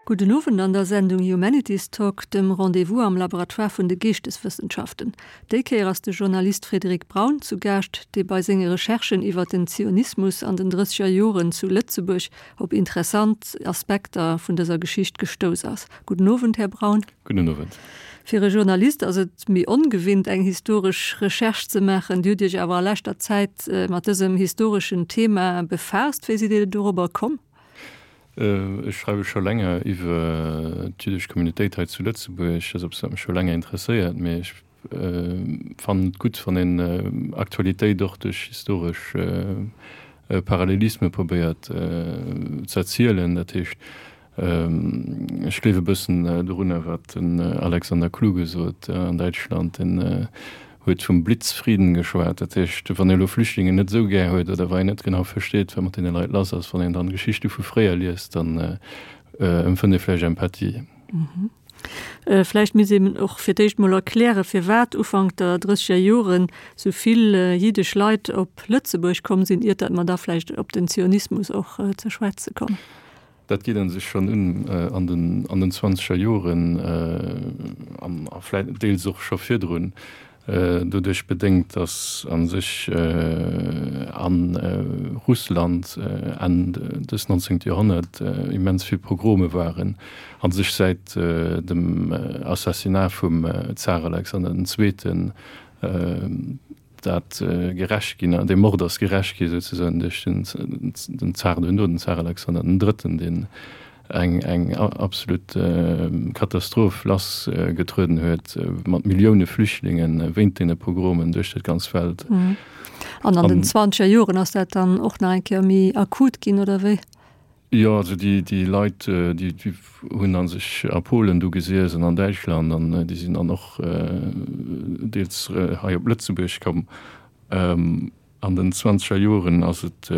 Gudden Owend an der Sendung Humanities Talk, dem Rendez-vous am Laboratoire vun de Geeschteswëssenschaften. Déi Kéier ass de Journalist Frédéric Braun zu Gaascht, dee bei senge Recherchen iwwer den Zionismus an den drësseger Joren zu Lëtzebuerg op interessant Aspekter vun dëser Geschicht gestouss ass. Gudden Owend, Här Braun. Gudden Owend. Fir e Journalist ass et méi ongewinnt, eng historesch Recherche ze maachen. Dir hutt Iech awer a leschter Zäit mat dësem historeschen Thema befaasst. Wéi sidd Dir dorobber komm? Ech schreiwe scho länger iwwer d'jüddesch Communautéit hei zu Lëtzebuerg. Dat ass eppes, wat mech scho länger interesséiert. Mee ech fannen et gutt, wann een Aktualitéit och duerch historesch Parallelisme probéiert ze erzielen. Dat heescht, Ech gleewe bëssen dorunner, wat den Alexander Kluge sot an Däitschland. Deen huet vum Blitzfrieden geschwat. Dat heescht, wann ee elo Flüchtlingen net esou gär huet oder wa een net genau versteet, wat mat deene Leit lass ass, wann een dann Geschichte vu fréier liest, dann empfënnt ee vläicht Empathie. Vläicht misst een och fir d'éischt mol erklären, firwat Ufank der drësseger Joren sou vill jiddesch Leit op Lëtzebuerg komm sinn, iert dat mer da vläicht op den Zionismus och ze schwätze kommen. Dat geet a sech schonn un an den an den zwanzeger Joren an a vläit deels och scho virdrun, doduerch bedéngt, datt a sech a Russland Enn des 19. Joerhonnert immens vill Pogrome waren, a sech säit dem Assassinat vum Zar Alexander den Zweeten, dat gerächt ginn, dee Mord ass gerächt gi souzesoen duerch den Zar duerno, den Zar Alexander den Drëtten, deen eng eng absolut Katastroph lass getrueden huet mat Millioune Flüchtlinge wéint deene Pogromen duerch dat ganz Welt. An an den zwanzeger Joren ass dat dann och nach eng Kéier méi akut ginn, oder wéi? Jo, also déi, déi Leit, déi, déi hunn a sech a Polen du gesiess an an Däitschland an déi sinn dann och deels hei op Lëtzebuerg komm. An den zwanzeger Joren ass et,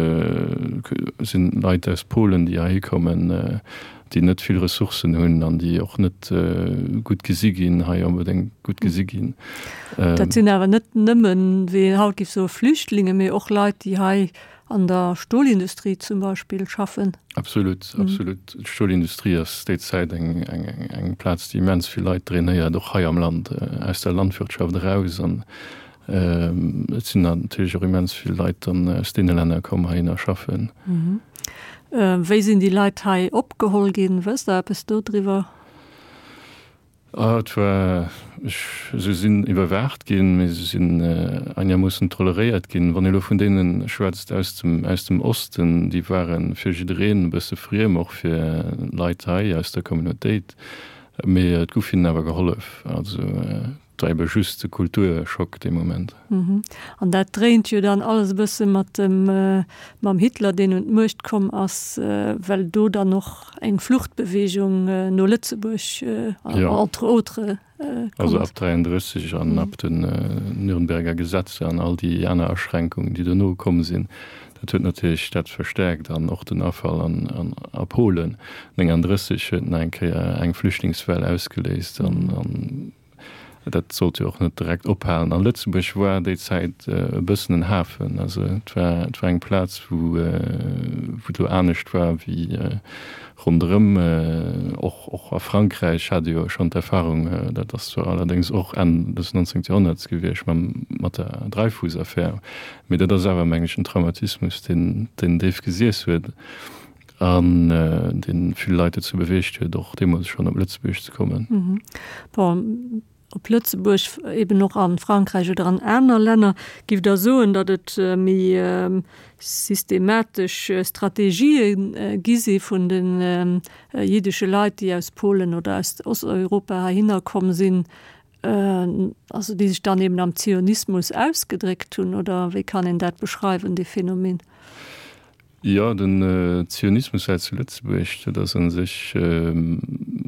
sinn Leit aus Polen, déi heihi kommen, déi net vill Ressourcen hunn an déi och net gutt gesi ginn, hei onbedéngt gutt gesi ginn. Dat sinn awer net nëmmen, wéi een haut géif soen, Flüchtlinge, mee och Leit, déi hei An der Stolindustrie zum Beispill schaffen. Absolut, absolut. D'Stolindustrie ass déi Zäit eng, eng, eng Plaz, déi immens vill Leit drainéiert, och hei am Land, aus der Landwirtschaft eraus. An et sinn natierlech och immens vill Leit dann aus deene Länner komm heihinner schaffen. Wéi sinn déi Leit hei opgeholl ginn? Wësst Der eppes dodriwwer? Ah, et war, ech, se sinn iwwerwaacht ginn, mee se sinn einermoossen toleréiert ginn. Wann ee elo vun deene schwätzt aus dem, aus dem Osten, déi ware fir jiddereen e bësse friem, och fir Leit hei aus der Communautéit, mee et gouf hinnen awer gehollef. Also et war ebe just e Kulturschock dee Moment. An dat dréint jo dann alles e bësse mat dem, mam Hitler, deen un d'Muecht komm ass, well do dann och eng Fluchtbewegung no Lëtzebuerg, entre autres, komm ass. Also ab 33 an ab den Nürnberger Gesetzer an all déi aner Aschränkungen, déi dono komm sinn, dat huet natierlech dat verstärkt an och den Afall an a Polen 39 huet nach eng Kéier eng Flüchtlingswell ausgeléist an Dat sollt jo och net direkt ophalen. An Lëtzebuerg war déi Zäit e bëssen en Hafen. Also et war, et war eng Plaz, wou, wou et elo anescht war wéi ronderëm. Och, och a Frankräich hat ee jo schonn d'Erfahrung, dat ass zwar allerdéngs och Enn des 19. Joerhonnerts gewiescht, mam, mat der Dreyfus-Affär, mee dat ass awer, meng ech, en Traumatismus, deen, deen déif gesiess huet. An dee vill Leit dozou beweegt huet, och deemools schonn op Lëtzebuerg ze kommen. Bon, op Lëtzebuerg, eben och a Frankräich oder an aner Länner. Giff Der soen, datt et méi systematesch Strategië gi si vun de jiddesche Leit, déi aus Polen oder aus Osteuropa heihinner komm sinn, also déi sech dann eben am Zionismus ausgedréckt hunn? Oder wéi kann een dat beschreiwen, dee Phänomen? Jo, den Zionismus hei zu Lëtzebuerg, dat ass a sech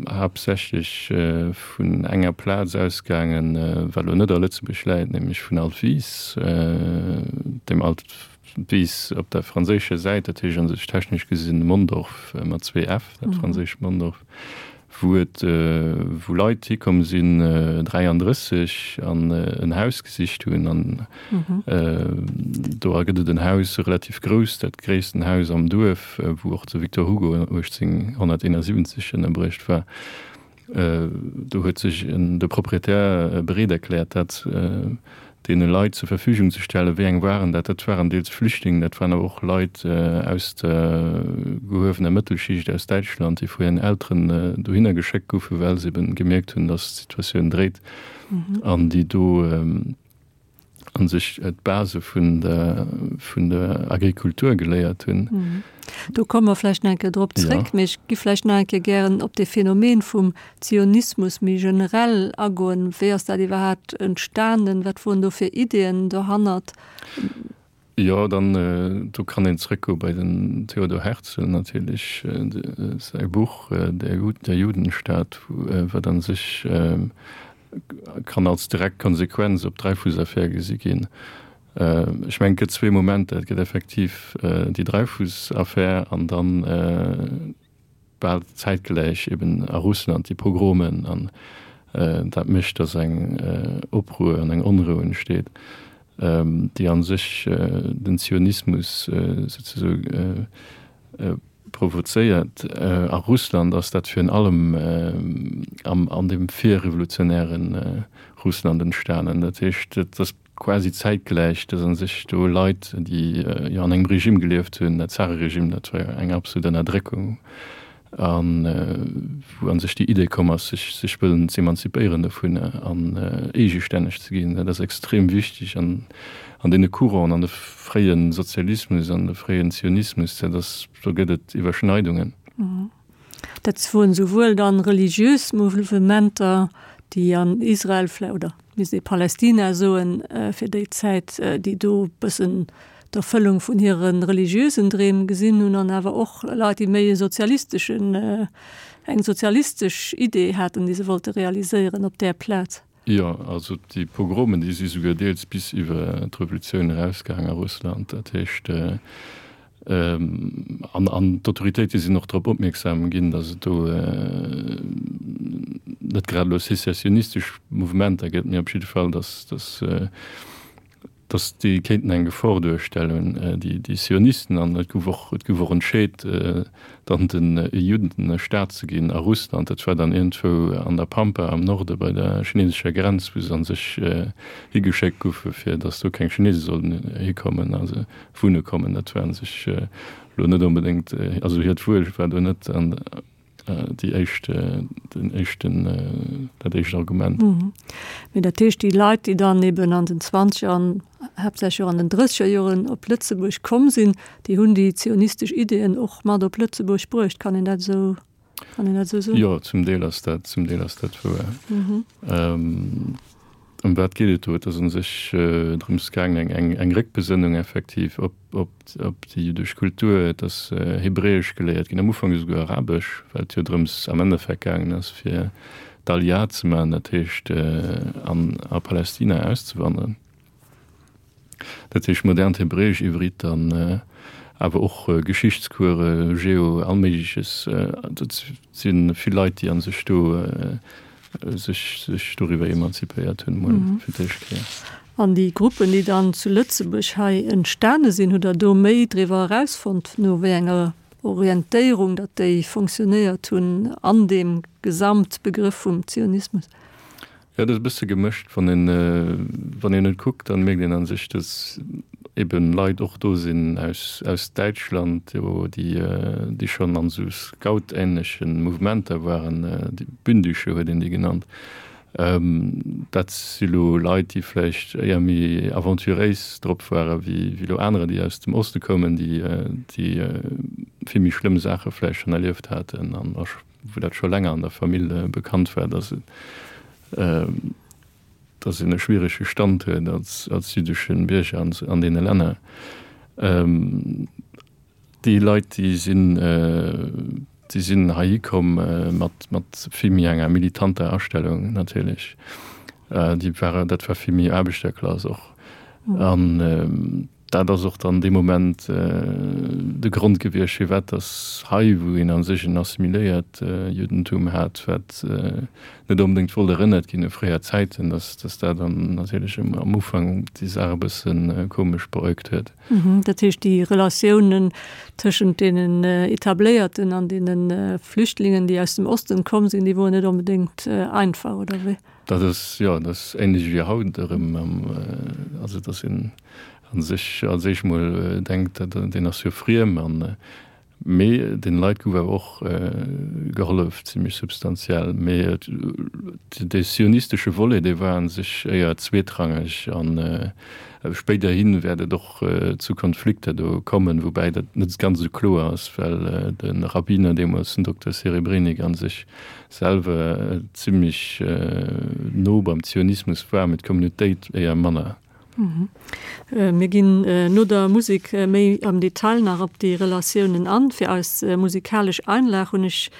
haaptsächlech vun enger Plaz ausgaangen, wat elo net a Lëtzebuerg läit, nämlech vun Altwis, dem Altwis op der franséischer Säit, dat heescht a sech technesch gesinn Mondorf mat zwee f, dat franséischt Mondorf. Wou et, wou Leit hikomm sinn, 33, an en Haus gesicht hunn. An do gëtt et en Haus, relativ grouss, dat gréissten Haus am Duerf, wou och de Victor Hugo 1871 ënnerbruecht war. Do huet sech de Proprietär bereet erkläert, dat deene Leit zur Verfügung ze stellen. Wéi eng waren dat? Dat waren deels Flüchtlingen, dat waren awer och Leit aus der gehuewener Mëttelschicht aus Däitschland, déi vu hiren Elteren dohinner geschéckt goufen, well se eben gemierkt hunn, datt d'Situatioun dréit an déi do a sech d'Base vun der, vun der Agrikultur geléiert hunn. Do komme mer vläicht nach eng Kéier drop zréck, mee ech gi vläicht nach eng Kéier gären op dee Phänomen vum Zionismus méi generell agoen. Wéi ass dat iwwerhaapt entstanen? Wat woren do fir Ideeën dohannert? Jo, dann do kann een zréckgoe bei den Theodor Herzl natierlech, säi Buch Der Judenstaat, wat a sech kann als direkt Konsequenz op d'Dreyfus-Affär gesi ginn. Ech mengen, et gëtt zwee Momenter, Et gëtt effektiv déi Dreyfus-Affär an dann bal zäitgläich eben a Russland déi Pogromen. An dat mécht, datt eng Opruer an eng Onrou entsteet, déi a sech den Zionismus souzesoe provozéiert. A Russland ass dat virun allem an deem virrevolutionäre Russland entstanen. Dat heescht, et ass quasi zäitgläich, dass a sech do Leit, déi jo an engem Regime gelieft hunn, dat Zareregime, dat war jo eng absolut Ënnerdréckung, a wou a sech déi Idee komm ass, sech sech wëllen z'emanzipéieren dovun an eegestänneg ze ginn. Dat ass extrem wichteg an an deene Couranten, an de fréie Sozialismus, an de fréien Zionismus, dat ass, do gëtt et Iwwerschneidungen. Dat woren souwuel dann religiös Mouvementer, déi an Israel vläicht, oder misst ee Palästina soen fir déi Zäit, déi do bëssen d'Erfëllung vun hire religiösen Dreem gesinn hunn, an awer och Leit, déi méi e sozialisteschen, eng sozialistesch Idee haten, déi se wollte realiséieren op där Plaz. Jo, also déi Pogromen, déi si souguer deels bis iwwer d'Revolutioun erausgaang a Russland. Dat heescht, An an d'Autoritéite sinn och drop opmierksam ginn, datt et do net grad elo sezessionistesch Mouvementer gëtt, mee op jidde Fall, datt datt datt déi kéinten eng Gefor duerstellen, déi déi Zionisten. An et gouf och et gouf och entscheet, dann de Judden e Staat ze ginn a Russland. Dat war dann iergendwou an der Pampa am Norde bei der chinesescher Grenz, wou se a sech higeschéckt goufe fir datt do keng Chinese sollten hikommen. Also wunne kommen. Dat war sech elo net onbedéngt, also hiert Wuel war do net an déi éischt, den éischten, dat éischt Argument. Mee dat heescht, déi Leit, déi dann eben an den Zwanzeger an haaptsächlech och an den Drësseger Joren op Lëtzebuerg komm sinn, déi hunn déi zionistesch Ideeën och mat op Lëtzebuerg bruecht. Kann een dat esou, kann een dat esou soen? Jo, zum Deel ass dat, zum Deel ass dat wouer. Ëm wat geet et do? Et ass u sech drëms gaangen, eng, eng Réckbesënnung effektiv op, op, op déi jüddesch Kultur. Et ass Hebräesch geléiert ginn, am Ufank esouguer Arabesch, well et jo drëms am Endeffekt gaangen ass, fir d'Aliyah ze maachen, dat heescht an a Palästina auszewanderen. Dat heescht modernt Hebräesch, Ivrit an awer och Geschichtscourse, Geo, all Méigleches. Dat si vill Leit, déi a sech do sech sech doriwwer emanzipéiert hunn, emol fir d'éischt Kéier. An déi Gruppen, déi dann zu Lëtzebuerg hei entstane sinn, hutt Der do méi driwwer erausfonnt, no wéi enger Orientéierung datt déi fonctionnéiert hunn an deem Gesamtbegrëff vum Zionismus? Jo, dat ass e bësse gemëscht. Wann een, wann een et kuckt, dann mierkt een a sech, datt eben Leit och do sinn aus, aus Däitschland, jo, déi, déi schonn an esou Scout-ähnleche Mouvementer waren, déi Bündische huet een déi genannt. Dat si lo Leit, déi vläicht éier méi aventuréis drop ware wéi, wéi lo anerer, déi aus dem Oste koumen, déi, déi vill méi schlëmm Saache vläicht schonn erlieft haten an a wou dat scho länger an der Famill bekannt war, dass et, dass een e schwierege Stand huet als, als jüddesche Bierger an, an deene Länner. Déi Leit, déi sinn, déi sinn heihi komm mat, mat vill méi enger militanter Astellung natierlech. Déi ware, dat war vill méi Aarbechterklass och. An. Dat ass och dann dee Moment de Grond gewiescht, firwat datt hei, wou een a sech en assimiléiert Juddentum hat, wat net onbedéngt wollt erënnert ginn u fréier Zäiten, datt datt dat dann natierlech am Ufank déi Saach e bësse komesch beäugt huet. Dat heescht, déi Relatiounen tëschent deenen Etabléierten an deene Flüchtlingen, déi aus dem Osten komm sinn, déi woren net onbedéngt einfach, oder wéi? Dat ass, jo, dat ass ähnlech wéi haut erëm. Also, datt een a sech als éischt mol denkt, dat deen ass jo friem an, mee deene Leit gouf awer och gehollef, zimlech substantiell. Mee dee zionistesche Volet, dee war a sech éier zweetrangeg an spéiderhi wäert et och zu Konflikter do kommen, woubäi dat net ganz esou kloer ass, well de Rabbiner deemools, den Dokter Serebrenik, a sech selwer zimlech no beim Zionismus war, mee d'Communautéit éier manner. Mir ginn no der Musek méi am Detail nach op déi Relatiounen an. Fir eis musikalesch Einlag hunn ech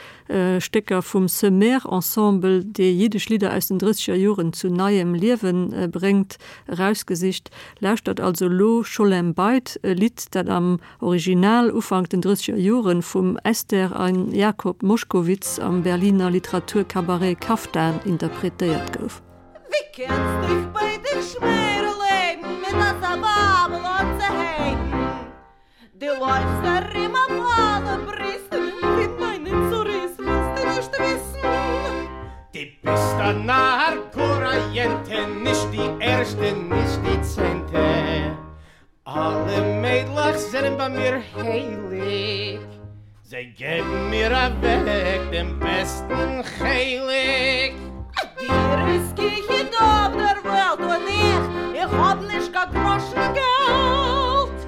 Stécker vum Semer Ensemble, dee jiddesch Lidder aus den drësseger Joren zu neiem Liewe bréngt, erausgesicht. Lauschtert also elo Scholem Beit, e Lidd, dat am Original Ufank den drësseger Joren vum Esther an Jakob Moschkowitz am Berliner Literaturcabaret Kaftan interpretéiert gouf. ווי קענסט דיך ביי דיך שמערל לעבן מיט אזא ווייבל אנצוהייבן? דו לויפסט ארום אויף אלע בריסטן און פון מיינע צרות ווילסטו נישט וויסן. דו ביסט א נאר גאר א יענטע, נישט די ערשטע נישט די צענטע, אלע מיידלעך זענען ביי מיר הייליג, זיי געבן מיר אוועק דעם בעסטן חלק. דיר איז גיט אויף דער וועלט און איך, איך האב נישט קיין גראשן געלט.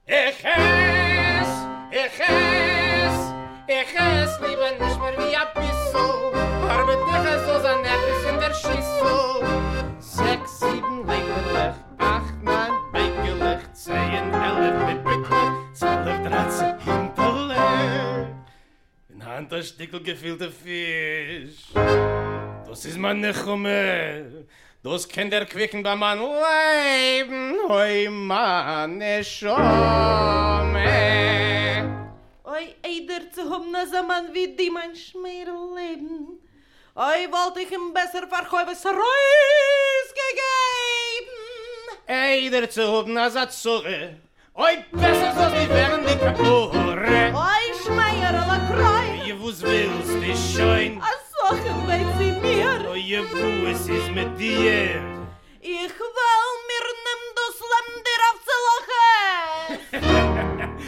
איך עס, איך עס, איך עס ליבער נישט מער ווי אביסל, ארבעט איך עס זאל זיין עפעס אין דער שיסל, זעקס זיבן לעפעלעך, אכט ניין בייגעלעך, צעהן עלף פיפיקלעך, צוועלף דרייצן הינטעלעך, און היינט א שטיקל געפילטע פיש, דאס איז מיין נחמה, דאס קען דערקוויקן ביי מיין לעבן, אוי מיין נשמה. אוי איידער צו האבן אזא מאן ווי דו מיין שמערל לעבן, אוי וואלט איך אים בעסער פאר חובות ארויסגעגעבן. איידער צו האבן אזא צרה, אוי בעסער זאלסטו ווערן די כפרה. אוי שמערעלע קרוין. אוי וואס ווילסטו שוין. א שכן וויי צו מיר. אוי וואס איז מיט דיר. איך וועל מיר נעם דאס לעבן דיר אויף צו להכעיס.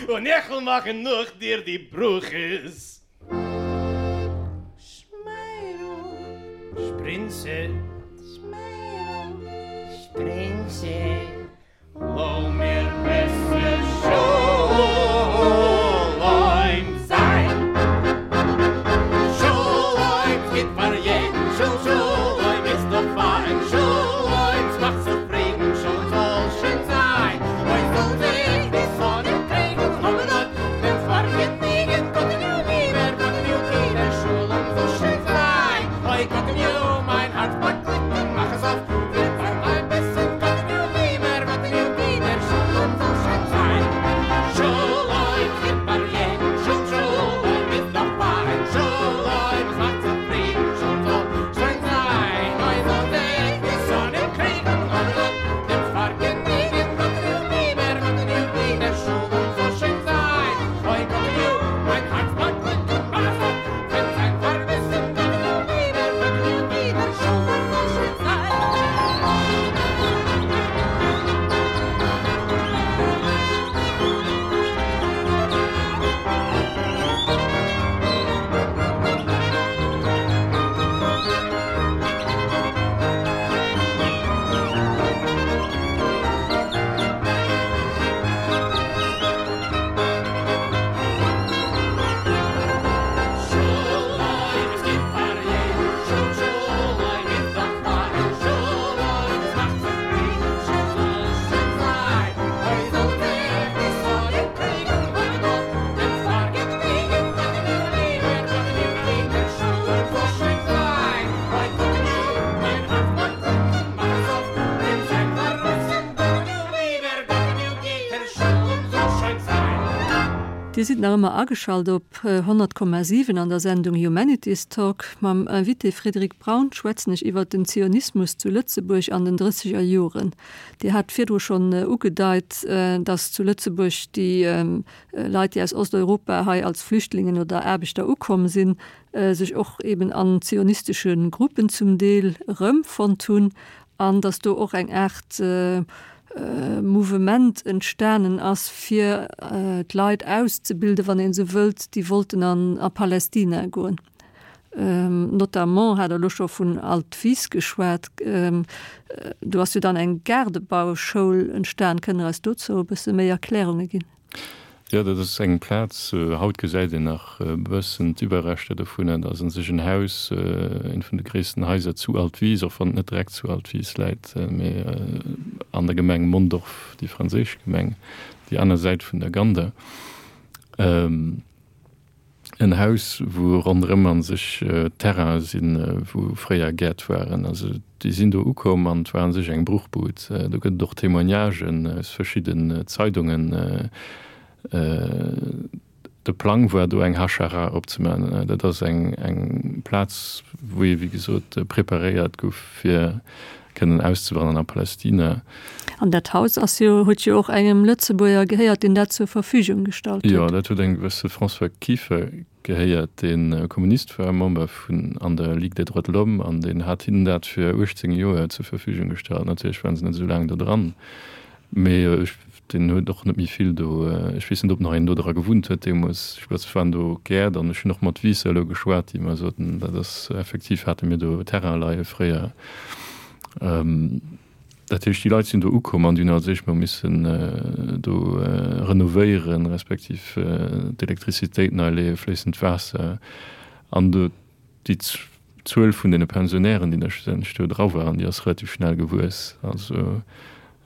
און איך וועל מאכן נאך דיר די ברכות. שמערל. שפרינצע. שמערל. שפרינצע. לאמיר בעסער שלום זיין. שלום גוט פאר יעדן, של שלום איז דאך פיין, שלום ס'מאכט צופרידן, שלום זאל שוין זיין, אוי זאל זיך די שונאים קריגן, האבן אט דעם פארגעניגן, גאטעניו ליבער, גאטעניו טיער, שלום זאל שוין זיין, אוי גאטעניו מיין הארץ באגליקן, מאך עס אויף. Dir sidd nach ëmmer ageschalt op 100,7 an der Sendung Humanities Talk. Mam Invité Frédéric Braun schwätzen ech iwwert den Zionismus zu Lëtzebuerg an den drësseger Joren. Dir hat virdru schonn ugedeit, datt zu Lëtzebuerg déi Leit, déi aus Osteuropa hei als Flüchtlingen oder Aarbechter ukomm sinn, sech och eben an zionistesche Gruppen zum Deel erëmfonnt hunn an datt do och eng Aart Mouvement entstanen ass, fir d'Leit auszebilden, wann een esou wëllt, déi wollten an a Palästina goen. Notamment hat Der elo scho vun Altwis geschwat, do ass jo dann eng Gaardebauschoul entstan. Kënnt Der eis dozou e bësse méi Erklärunge ginn? Jo, dat ass eng Plaz, haut gesäit een nach e bëssen d'Iwwerreschter dovunner. Dat ass un sech en Haus, eent vun de gréissten Haiser zu Altwis, och wann et net direkt zu Altwis läit, mee an der Gemeng Mondorf, déi franséisch Gemeng, déi aner Säit vun der Gander. En Haus, wou ronderëm a sech Terrainen sinn, wou fréier Gäert waren. Also déi sinn do ukomm an et war a sech eng Bruchbud. Do gëtt et och Témoignagen aus verschidden Zeidungen. De Plang war do eng Hachara opzemaachen. Dat ass eng eng Plaz, wou ee wéi gesot preparéiert gouf fir kënnen auszewandern a Palästina. An dat Haus ass jo, huet jo och engem Lëtzebuerger gehéiert, deen dat zur Verfügung gestallt huet. Jo, dat huet engem gewësse François Kieffer gehéiert, dee Kommunist war, Member vun an der Ligue des droits de l'homme, an deen hat hinnen dat fir 18 Joer zur Verfügung gestallt. Natierlech waren se net esou laang do dran, mee ech, deen huet och net méi vill do, ech weess net, ob nach een do dra gewunnt huet deemools. Ech weess, et waren do Gäert an ech hunn och mat Wiisser elo geschwat, déi mer soten, dat ass effektiv, hate mir do Terrain leie fréier. Dat heescht, déi Leit sinn do ukomm an déi hunn als éischt mol missen do renovéieren, respektiv d'Elektrizitéit nei leeën, fléissend Waasser. An do déi Zuel vun deene Pensionären, déi da schlussendlech do dra waren, déi ass relativ schnell gewuess, also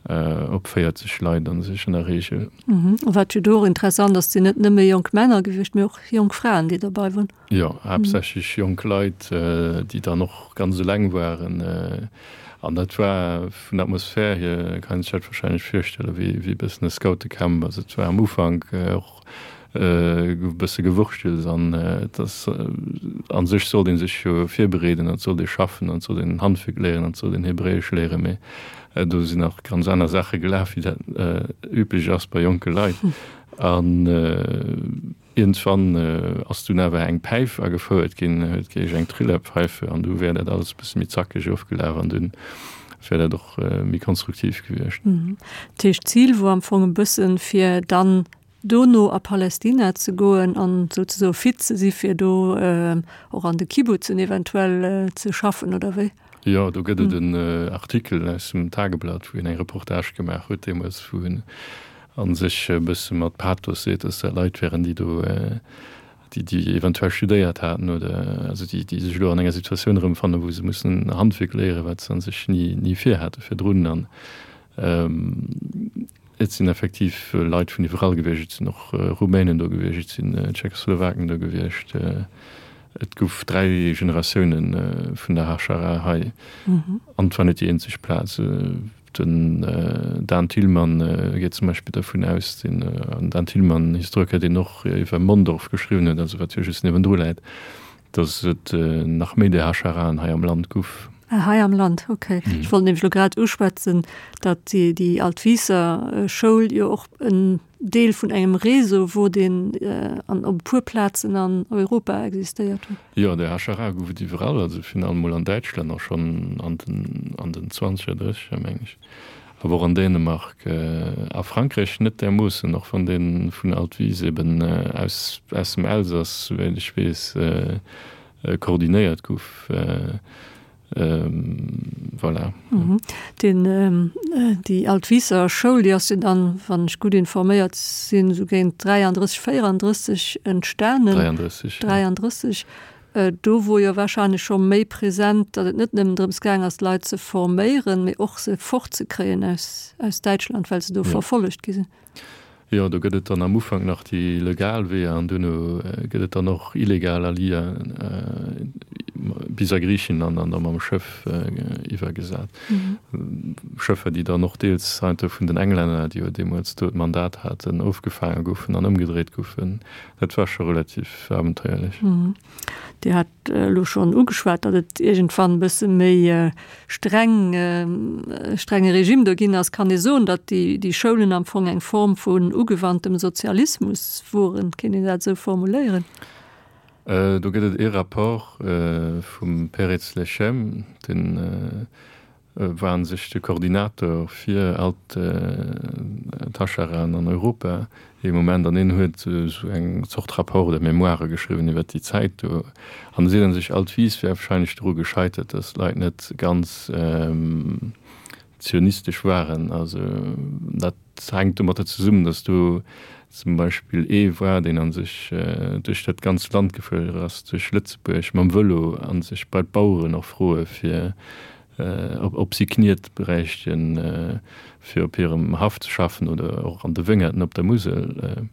op 40 Leit a sech an der Reegel. A wat jo do och interessant ass, et sinn net nëmme jonk Männer gewiescht, mee och jonk Fraen, déi dobei waren. Jo, haaptsächlech jonk Leit, déi dann och ganz eleng waren. An dat war vun der Atmosphär hier, kann een sech dat wahrscheinlech virstellen, wéi e bëssen e Scoutecamp. Also et war am Ufank och e bësse Gewurschtels an et ass, a sech sollt ee sech jo virbereeden an et sollt ee schaffen an et sollt een Handwierk léieren an et sollt een Hebräesch léieren, mee do sinn nach ganz aner Saache gelaf, wéi dat üblech ass bei jonke Leit. An Iergendwann ass dunn awer eng Päif agefouert ginn, huet geheescht eng Trillerpfeife, an du wär dat alles e bësse méi zackeg ofgelaf an dunn wär dat och méi konstruktiv gewiescht. Dat heescht, d'Zil wor am Fong e bëssen, fir dann dono a Palästina ze goen an souzesoe fit ze si fir do och an de Kibbutzen eventuell ze schaffen, oder wéi? Jo, do gëtt et en Artikel aus dem Tageblatt, wou een eng Reportage gemaach huet deemools, wou en a sech e bësse mat Pathos seet, dass dat Leit wären, déi do, déi, déi eventuell studéiert haten oder also déi, déi sech elo an enger Situatioun erëmfannen, wou se mussen e Handwierk léieren, wat se a sech ni, ni virhate virdrun. An et sinn effektiv Leit vun iwwerall gewiescht. Et sinn och Rumänen do gewiescht, et sinn Tschechoslowaken do gewiescht. Et gouf 3 Generatioune vun der Hachara hei an et war net déi eenzeg Plaz. Den Dan Thilmann geet zum Beispill dervun aus, den Dan Thilmann, Historiker, deen och iwwer Mondorf geschriwwen huet, also wat jo just niewendru läit, datt et nach méi där Hacharaen hei am Land guff. Ah, hei am Land, okay. Ech wollt nämlech elo grad uschwätzen, datt déi Altwiisser Schoul jo och en Deel vun engem Réseau wor, deen an op e puer Plazen an Europa existéiert huet. Jo, de HRA gouf et iwwerall, also virun allem mol an Däitschland och schonn an den an den zwanzeger, drësseger meng ech, awer och an Dänemark, a Frankräich net därmoossen, och wann dee vun Altwis eben aus aus dem Elsass, souwäit ech weess, koordinéiert gouf. Voilà. Den, déi Altwiisser Schoul, déi ass jo dann, wann ech gutt informéiert sinn, esou géint 33, 34 entstanen. 33, ja. 33. Do wor jo wahrscheinlech scho méi present, datt et net nëmmen drëms gaang ass, d'Leit ze forméieren, mee och se fortzekréien aus, aus Däitschland, well se do verfollegt gi sinn. Jo, do gëtt et dann am Ufank nach déi legal Weeër an duerno gëtt et dann och illegal Allier. bis a Griichenland an da mam Schëff iwwergesat. Schëffer, déi dann och deels heiansdo vun den Englänner, déi jo deemools do d'Mandat haten, ofgefaange goufen an ëmgedréit goufen. Dat war scho relativ abenteuerlech. Dir hat elo schonn ugeschwat, datt et iergendwann e bësse méi streng, strenge Regime do ginn ass. Kann ee soen, datt déi, déi Schoulen am Fong eng Form vun ugewandtem Sozialismus woren? Kéint een dat esou formuléieren? Do gëtt et ee Rapport vum Peretz Lechem, deen war un sech de Koordinator fir all d'Hacharaen an Europa ee Moment, an hien huet esou eng Zort Rapport oder Mémoire geschriwwen iwwer déi Zäit do. An e seet un sech, Altwies wär wahrscheinlech doru gescheitert, datt d'Leit net ganz zionistesch waren. Also dat hänkt domatter zesummen, datt do zum Beispill ee war, deen a sech duerch dat ganzt Land gefuer ass, duerch Lëtzebuerg mam Vëlo, a sech bei d'Baueren och froe fir ob si Kniet bräichten, fir op hirem Haff ze schaffen oder och an de Wéngerten op der Musel.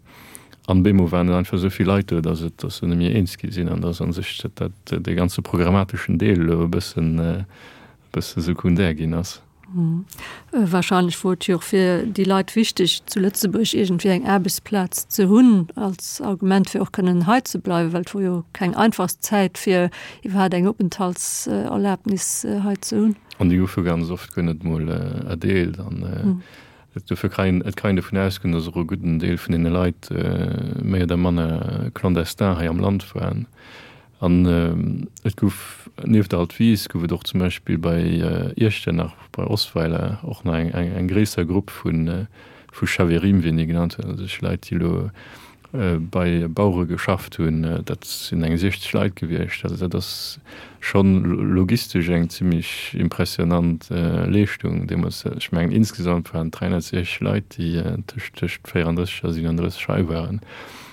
An bemol waren et einfach esou vill Leit do, datt et, datt se net méi eens gi sinn an datt a sech dat, dee ganze programmateschen Deel elo e bëssen, bësse sekundär ginn ass. Wahrscheinlech wor et jo och fir déi Leit wichteg, zu Lëtzebuerg iergendwéi eng Aarbechtsplaz ze hunn, als Argument fir och kënnen hei ze bleiwen, well et wor jo keng einfachst Zäit fir iwwerhaapt eng Openthaltserlaabnis hei ze hunn. An déi goufe ganz oft guer net mol erdeelt. An dofir kann een, et kann een dovun ausgoen, datt och e gudden Deel vun deene Leit méi oder manner clandestin hei am Land waren. An et gouf nieft Altwis gouf et och zum Beispill bei Iechternach, bei Osweiler och nach eng eng gréisser Grupp vu vu Chaverim, wéi een déi genannt huet, also Leit, déi elo bei Bauere geschafft hunn. Dat sinn eng 60 Leit gewiescht. Also dat ass schonn logistesch eng zimmlech impressionant Leeschtung deemools. Ech mengen insgesamt waren et 360 Leit, déi tëscht tëscht 34 a 37 hei waren.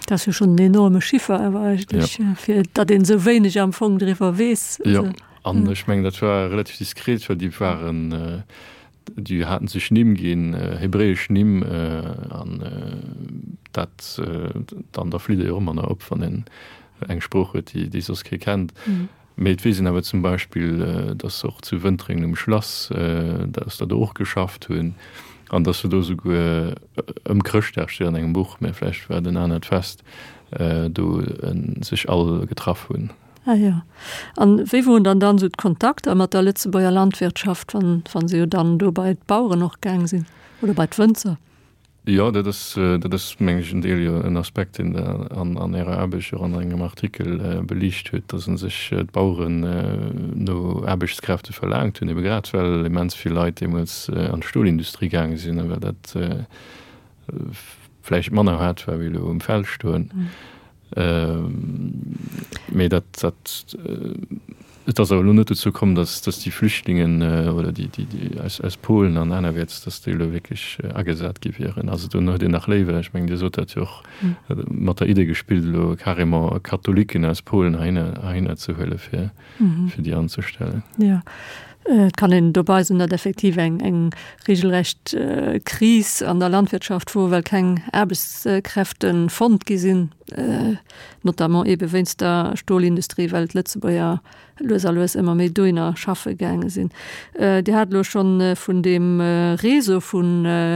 Dat ass jo schonn en enorme Chiffer awer eigentlech, fir datt een esou wéineg am Fong driwwer weess. Jo, an ech mengen, dat war relativ diskret, well déi waren, déi haten sech Nimm ginn, hebräesch Nimm, an dat, dann da flitt ee jo och ëmmer nach op, wann een eng Sprooch huet, déi soss kee kennt. Mee et weess een awer zum Beispill, dass se och zu Wëntréngen um Schlass, dass der do och geschafft hunn an dass se do souguer ëm Chrëschtdag, steet an engem Buch, mä vläicht war et en anert Fest, do sech all getraff hunn. Ah jo. An wéi woren dann dann esou d'Kontakter mat der Lëtzebuerger Landwirtschaft, wann, wa se jo dann do bei d'Baueren och gaang sinn oder bei d'Wënzer? Jo, dat ass, dat ass meng ech en Deel, jo en Aspekt, deen Der an an Ärer Aarbecht och an engem Artikel beliicht hutt, dass u sech d'Baueren no Aarbechtskräfte verlaangt hunn, ebe grad well immens vill Leit deemools an d'Stolindustrie gaange sinn a well dat vläicht manner haart war wéi elo um Feld stoen. Mee dat, dat, et ass awer elo net dozou komm, datt, datt déi Flüchtlingen oder déi, déi, déi aus, aus Polen an anerwäerts, datt déi elo wierklech agesat gi wieren. Also do huet een nach léiwer, ech mengen, Dir sot dat jo och, mat der Idee gespillt, elo carrément Katholiken aus Polen heihinner, heihinner ze huele fir, fir déi anzestellen. Jo, et kann een dobei soen, datt effektiv eng, eng regelrecht Kris an der Landwirtschaft wor, well keng Aarbechtskräfte fonnt gi sinn, notamment eebe wéinst der Stolindustrie, well d'Lëtzebuerger lues a lues ëmmer méi dohinner schaffe gaange sinn. Dir hat elo schonn vun deem Réseau vu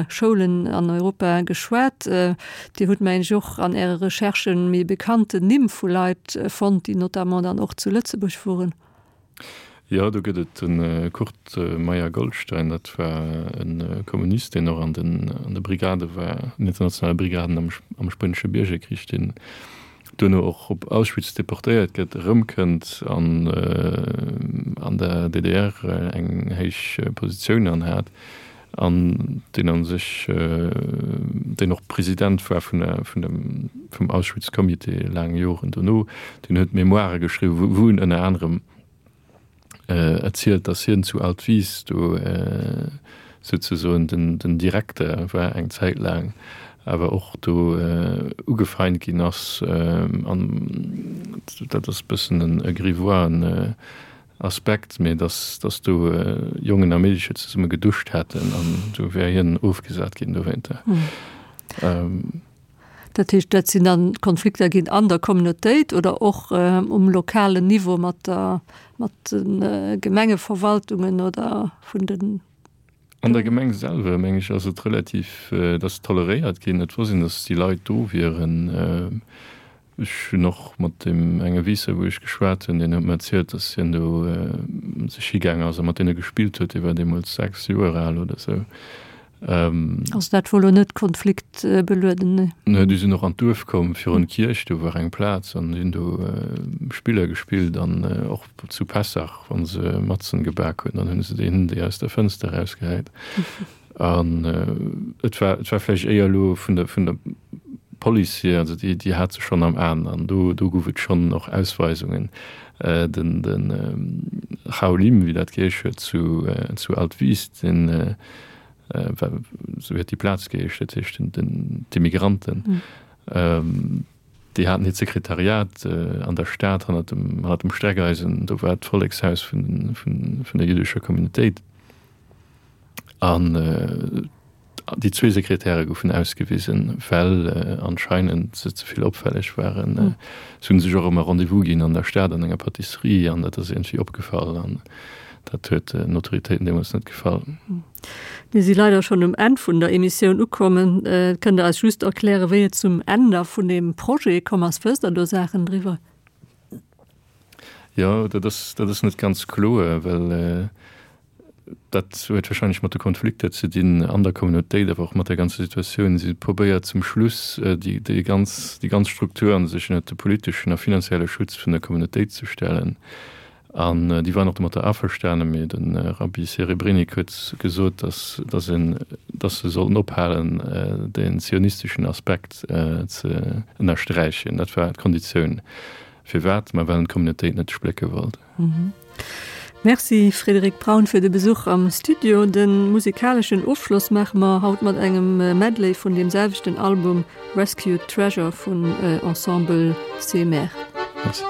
Schoulen an Europa geschwat. Dir hutt, mengen ech, och an Äre Recherchen méi bekannten Nimm vu Leit fonnt, déi notamment dann och zu Lëtzebuerg woren. Jo, do gëtt et de Kurt Meyer-Goldstein, dat war e Kommunist, deen och an den de Brigade war, den internationale Brigaden am am Spuenesche Biergerkrich, deen duerno och op Auschwitz deportéiert gëtt, erëmkënnt an an der DDR eng héich Positioun anhat an deen a sech, deen och President war vun der vun dem vum Auschwitz-Comité laang Joren dono, deen huet Memoire geschriwwen, wou en ënner anerem erzielt, datt hien zu Altwis do souzesoen den den Direkter war eng Zäit laang, awer och do ugefeint ginn ass an dat ass e bëssen e grivoisen Aspekt, mee dass dass do Jongen a Meedecher zesumme geduscht hätten an do wär hien ofgesat ginn dowéinter. Dat heescht, dat sinn dann Konflikter ginn an der Communautéit oder och um lokalen Niveau mat der, mat de Gemengeverwaltungen oder vun den. An der Gemeng selwer, meng ech, ass et relativ, et ass toleréiert ginn. Et wosst een, datt déi Leit do wieren. Ech hunn och mat deem enge Wiisser, wou ech geschwat hunn, deen huet mer erzielt, datt hien do sech higaang ass a mat deene gespillt huet. Dee war deemools 6 Joer al oder esou. Also dat wor lo net konfliktbelueden, nee? Nee, déi sinn och an d'Duerf komm, virun d'Kierch, do war eng Plaz an déi hunn do Spiller gespillt an och zu Pessach, wa se Matzen gebak hunn, dann hunn se deenen déi aus der Fënster erausgehäit. An et war, et war vläicht éier elo vun der, vun der Police hier, also déi, déi hat se schonn am Aen an do, do gouf et schonn och Ausweisungen. Den, den Chaolim, wéi dat geheesch huet zu, zu Altwis, deen, esou huet déi Plaz geheescht, dat heescht den, d'Immigranten, déi haten hiert Sekretariat an der Stad hannert dem, hannert dem Streckeisen, do war d'Vollekshaus vun, vun, vun der jüddescher Communautéit. An déi zwee Sekretäre goufen ausgewisen, well anscheinend se ze vill opfälleg waren. Se hu sech och ëmmer Rendez-vous ginn an der Stad an enger Pâtisserie an dat ass iergendwéi opgefall an dat huet den Autoritéiten deemools net gefall. Mir si leider schonn um Enn vun der Emissioun ukommen. Kënnt Der eis just erklären, wéi et zum Enn da vun deem Projet komm ass? Wësst Der do Saachen driwwer? Jo, dat ass, dat ass net ganz kloer, well Dat huet wahrscheinlech mat de Konflikter ze dinn an der Communautéit, awer och mat der ganzer Situatioun. Si probéiert zum Schluss déi, déi ganz, déi ganz Struktur an sech ënnert de politeschen a finanzielle Schutz vun der Communautéit ze stellen. An déi waren och domatter averstanen, mee de Rabbi Serebrenik huet gesot, datt, datt een, datt se sollten ophalen, den zionisteschen Aspekt ze ënnersträichen. Dat war d'Konditioun. Firwat? Ma well en d'Communautéit net splécke wollt. Merci Frédéric Braun fir de Besuch am Studio. De musikaleschen Ofschloss maache mer haut mat engem Medley vun deem selwechten Album Rescued Treasure vun Ensemble CMR. Merci.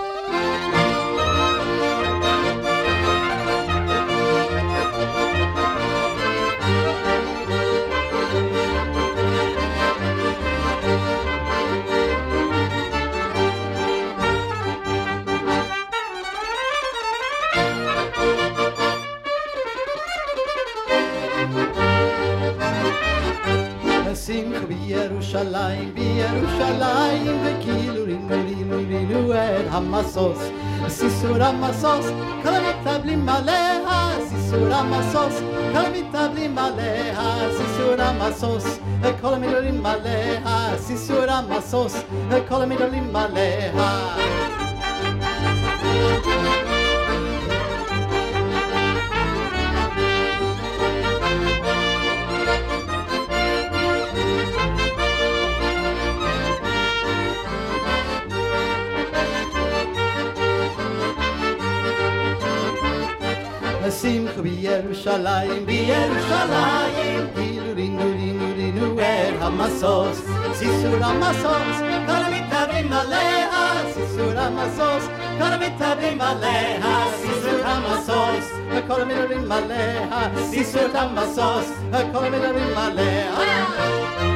שמחה בירושלים, בירושלים, כאילו רינו רינו רינו את המשוש, סיסור המשוש, כל המתאבלים עליה, סיסור המשוש, כל המתאבלים עליה, סיסור המשוש, כל המדברים עליה, סיסור המשוש, כל המדברים עליה.